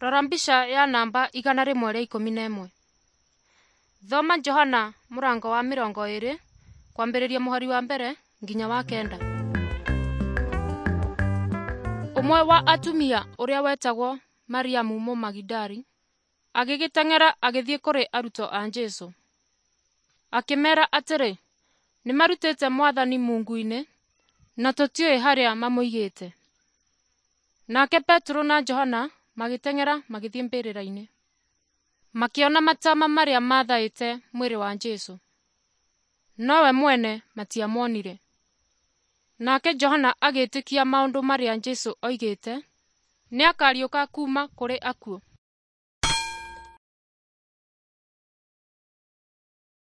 Rora mbica ya namba 111. Thoma Johana mũrango wa 20 kwambĩrĩria mũhari wa mbere nginya wa kenda. Ũmwe wa atumia ũrĩa wetagwo Mariamu Mũmagidali agĩgĩteng'era agĩthiĩ kũrĩ arutwo a Jesũ. Akĩmeera atĩrĩ, nĩmarutĩte Mwathani mungu-inĩ na tũtiũĩ harĩa mamũigĩte. Nake Petero na Johana magĩteng'era magĩthiĩ mbĩrĩra-inĩ. Makĩona matama marĩa maathaĩte mwĩrĩ wa Jesũ, nowe mwene matiamuonire. Nake Johana agĩĩtĩkia maũndũ marĩa Jesũ oigĩte, nĩakariũka kuuma kũrĩ akuũ.